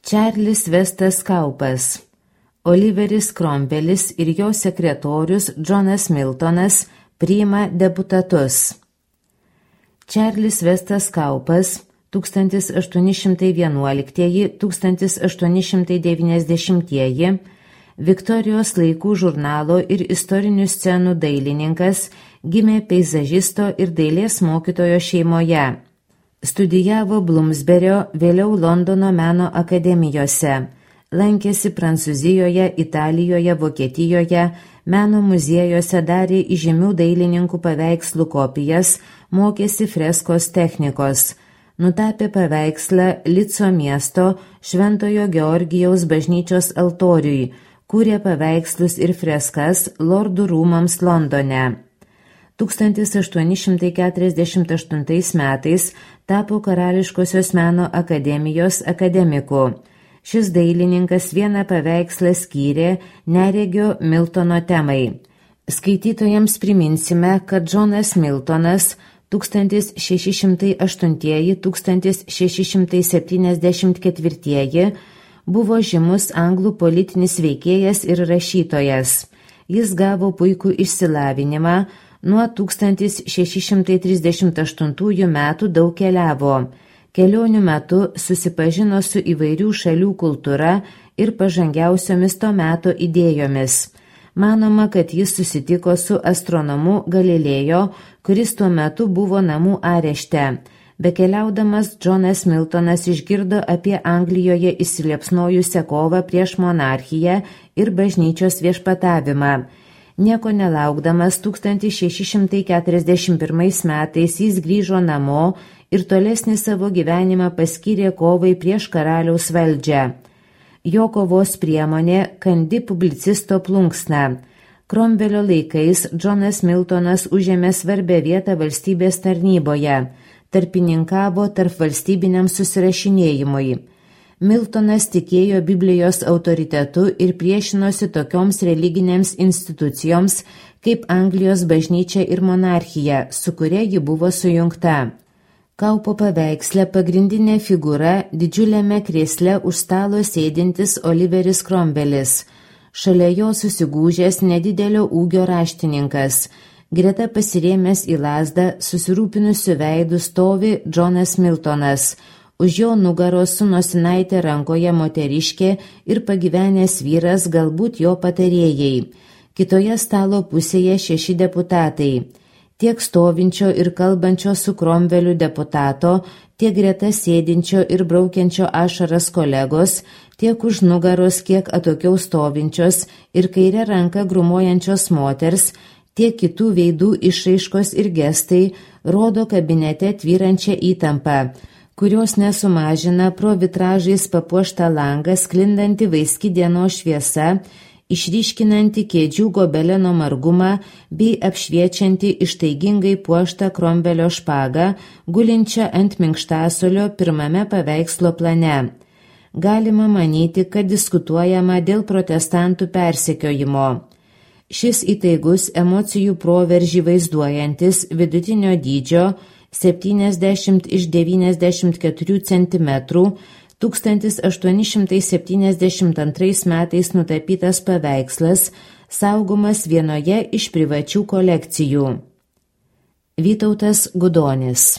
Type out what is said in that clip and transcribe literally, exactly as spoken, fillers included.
Čarlis Vestas Kaupas, Oliveris Cromwellis ir jo sekretorius Johnas Miltonas priima deputatus. Čarlis Vestas Kaupas tūkstantis aštuoni šimtai vienuoliktieji - tūkstantis aštuoni šimtai devyniasdešimtieji Viktorijos laikų žurnalo ir istorinių scenų dailininkas, gimė peizažisto ir dailės mokytojo šeimoje. Studijavo Bloomsberio, vėliau Londono meno akademijose. Lankėsi Prancūzijoje, Italijoje, Vokietijoje, meno muziejuose, darė įžymių dailininkų paveikslų kopijas, mokėsi freskos technikos. Nutapė paveikslą Lico miesto Šventojo Georgijaus bažnyčios altoriui, kūrė paveikslus ir freskas Lordų rūmams Londone. tūkstantis aštuoni šimtai keturiasdešimt aštuntais metais tapo Karališkosios meno akademijos akademiku. Šis dailininkas vieną paveikslą skyrė neregio Miltono temai. Skaitytojams priminsime, kad Johnas Miltonas tūkstantis šeši šimtai aštuntieji - tūkstantis šeši šimtai septyniasdešimt ketvirtieji buvo žymus anglų politinis veikėjas ir rašytojas. Jis gavo puikų išsilavinimą, nuo tūkstantis šeši šimtai trisdešimt aštuntųjų metų daug keliavo. Kelionių metu susipažino su įvairių šalių kultūra ir pažangiausiomis to meto idėjomis. Manoma, kad jis susitiko su astronomu Galilėjo, kuris tuo metu buvo namų arešte. Bekeliaudamas Johnas Miltonas išgirdo apie Anglijoje įsiliepsnojusią kovą prieš monarchiją ir bažnyčios viešpatavimą. Nieko nelaukdamas tūkstantis šeši šimtai keturiasdešimt pirmais metais jis grįžo namo ir tolesnį savo gyvenimą paskyrė kovai prieš karaliaus valdžią. Jo kovos priemonė kandi publicisto plunksna. Cromwellio laikais Johnas Miltonas užėmė svarbę vietą valstybės tarnyboje, tarpininkavo tarp valstybiniam susirašinėjimui. Miltonas tikėjo Biblijos autoritetu ir priešinosi tokioms religinėms institucijoms kaip Anglijos bažnyčia ir monarchija, su kuria ji buvo sujungta. Kaupo paveiksle pagrindinė figūra didžiuliame krėsle už stalo sėdintis Oliveris Cromwellis. Šalia jo susigūžęs nedidelio ūgio raštininkas. Greta pasirėmęs į lazdą susirūpinusiu veidu stovi Johnas Miltonas. Už jo nugaros su nosinaitė rankoje moteriškė ir pagyvenęs vyras, galbūt jo patarėjai. Kitoje stalo pusėje šeši deputatai. Tiek stovinčio ir kalbančio su Cromwelliu deputato, tiek greta sėdinčio ir braukiančio ašaras kolegos, tiek už nugaros kiek atokiau stovinčios ir kairę ranką grumuojančios moters, tiek kitų veidų išraiškos ir gestai rodo kabinete tvyrančią įtampą, kurios nesumažina pro vitražais papuoštą langą sklindanti vaiski dienos šviesa, išryškinanti kėdžių gobeleno margumą bei apšviečianti ištaigingai puoštą Cromwellio špagą, gulinčią ant minkštasolio pirmame paveikslo plane. Galima manyti, kad diskutuojama dėl protestantų persekiojimo. Šis įtaigus emocijų proveržį vaizduojantis vidutinio dydžio septyniasdešimt iš devyniasdešimt keturių centimetrų tūkstantis aštuoni šimtai septyniasdešimt antrais metais nutapytas paveikslas saugomas vienoje iš privačių kolekcijų. Vytautas Gudonis.